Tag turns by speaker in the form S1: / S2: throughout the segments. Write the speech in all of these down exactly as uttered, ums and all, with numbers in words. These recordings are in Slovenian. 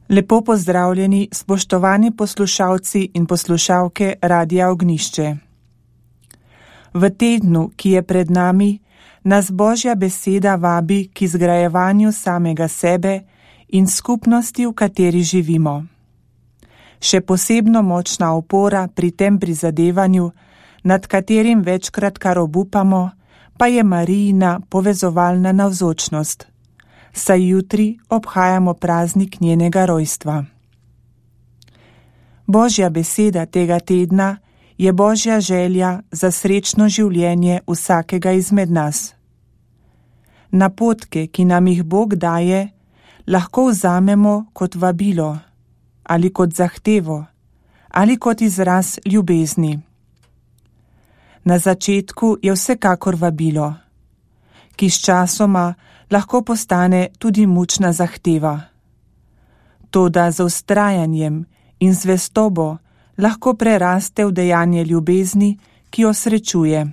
S1: Lepo pozdravljeni, spoštovani poslušalci in poslušalke Radia Ognjišče. V tednu, ki je pred nami, nas Božja beseda vabi k izgrajevanju samega sebe in skupnosti, v kateri živimo. Še posebno močna opora pri tem prizadevanju, nad katerim večkrat kar obupamo, pa je Marijina povezovalna navzočnost, saj jutri obhajamo praznik njenega rojstva. Božja beseda tega tedna je Božja želja za srečno življenje vsakega izmed nas. Napotke, ki nam jih Bog daje, lahko vzamemo kot vabilo, ali kot zahtevo, ali kot izraz ljubezni. Na začetku je vsekakor vabilo, ki s časoma lahko postane tudi mučna zahteva. Toda z vztrajanjem in zvestobo lahko preraste v dejanje ljubezni, ki jo srečuje.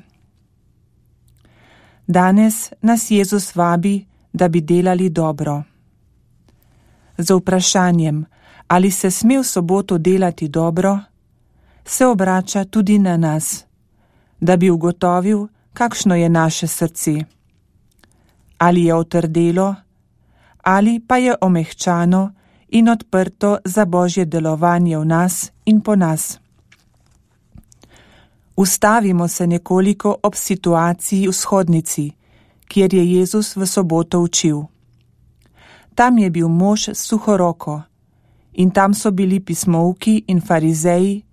S1: Danes nas Jezus vabi, da bi delali dobro. Z vprašanjem, ali se sme v soboto delati dobro, se obrača tudi na nas, da bi ugotovil, kakšno je naše srce. Ali je otrdelo, ali pa je omehčano in odprto za Božje delovanje v nas in po nas. Ustavimo se nekoliko ob situaciji v shodnici, kjer je Jezus v soboto učil. Tam je bil mož s suho roko in tam so bili pismouki in farizeji,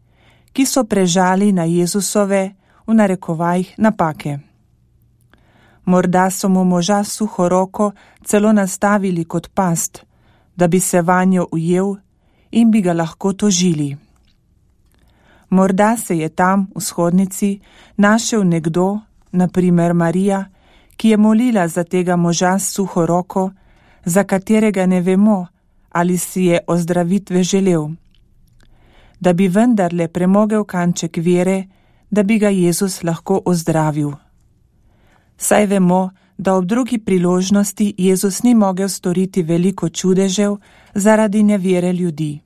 S1: ki so prežali na Jezusove, v narekovajih, napake. Morda so mu moža s suho roko celo nastavili kot past, da bi se vanjo ujel in bi ga lahko tožili. Morda se je tam v shodnici našel nekdo, na primer Marija, ki je molila za tega moža s suho roko, za katerega ne vemo, ali si je ozdravitve želel, da bi vendarle premogel kanček vere, da bi ga Jezus lahko ozdravil. Saj vemo, da ob drugi priložnosti Jezus ni mogel storiti veliko čudežev zaradi nevere ljudi.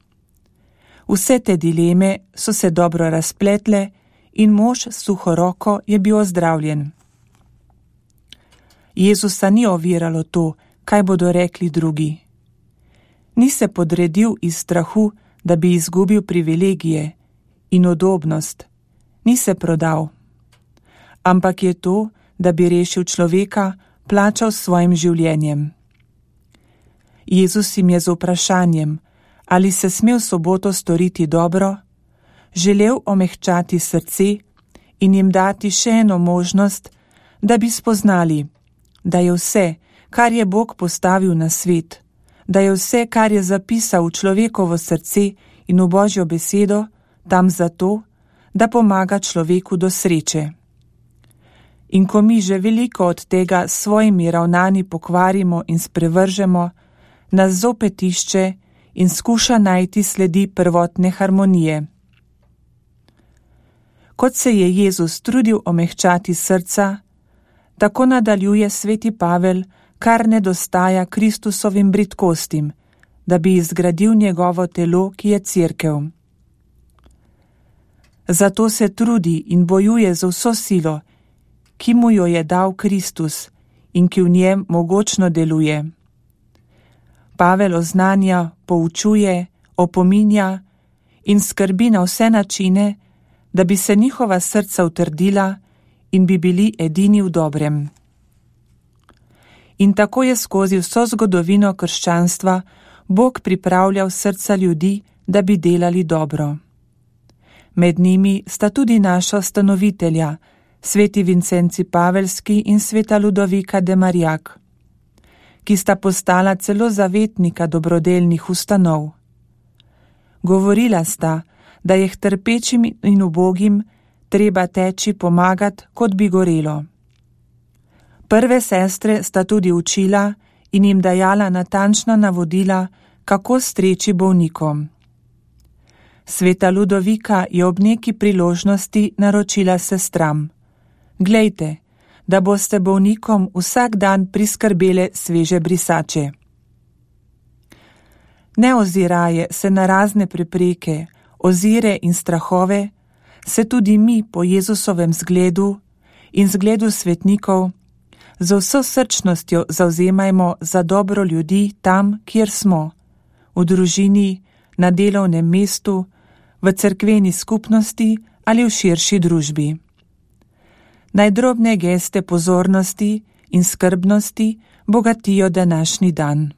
S1: Vse te dileme so se dobro razpletle in mož s suho roko je bil ozdravljen. Jezusa ni oviralo to, kaj bodo rekli drugi. Ni se podredil iz strahu, da bi izgubil privilegije in udobnost, ni se prodal, ampak je to, da bi rešil človeka, plačal s svojim življenjem. Jezus jim je z vprašanjem, ali se sme v soboto storiti dobro, želel omehčati srce in jim dati še eno možnost, da bi spoznali, da je vse, kar je Bog postavil na svet, da je vse, kar je zapisal v človekovo srce in v Božjo besedo, tam zato, da pomaga človeku do sreče. In ko mi že veliko od tega s svojimi ravnanji pokvarimo in sprevržemo, nas zopet išče in skuša najti sledi prvotne harmonije. Kot se je Jezus trudil omehčati srca, tako nadaljuje sveti Pavel, kar nedostaja Kristusovim bridkostim, da bi izgradil njegovo telo, ki je cerkev. Zato se trudi in bojuje z vso silo, ki mu jo je dal Kristus in ki v njem mogočno deluje. Pavel oznanja, poučuje, opominja in skrbi na vse načine, da bi se njihova srca utrdila in bi bili edini v dobrem. In tako je skozi vso zgodovino krščanstva Bog pripravljal srca ljudi, da bi delali dobro. Med njimi sta tudi naša ustanovitelja, sveti Vincenci Pavelski in sveta Ludovika de Marjak, ki sta postala celo zavetnika dobrodelnih ustanov. Govorila sta, da je k trpečim in ubogim treba teči pomagat, kot bi gorelo. Prve sestre sta tudi učila in jim dajala natančna navodila, kako streči bolnikom. Sveta Ludovika je ob neki priložnosti naročila sestram: Glejte, da boste bolnikom vsak dan priskrbele sveže brisače. Ne oziraje se na razne prepreke, ozire in strahove, se tudi mi po Jezusovem zgledu in zgledu svetnikov z vso srčnostjo zavzemajmo za dobro ljudi tam, kjer smo, v družini, na delovnem mestu, v cerkveni skupnosti ali v širši družbi. Naj drobne geste pozornosti in skrbnosti bogatijo današnji dan.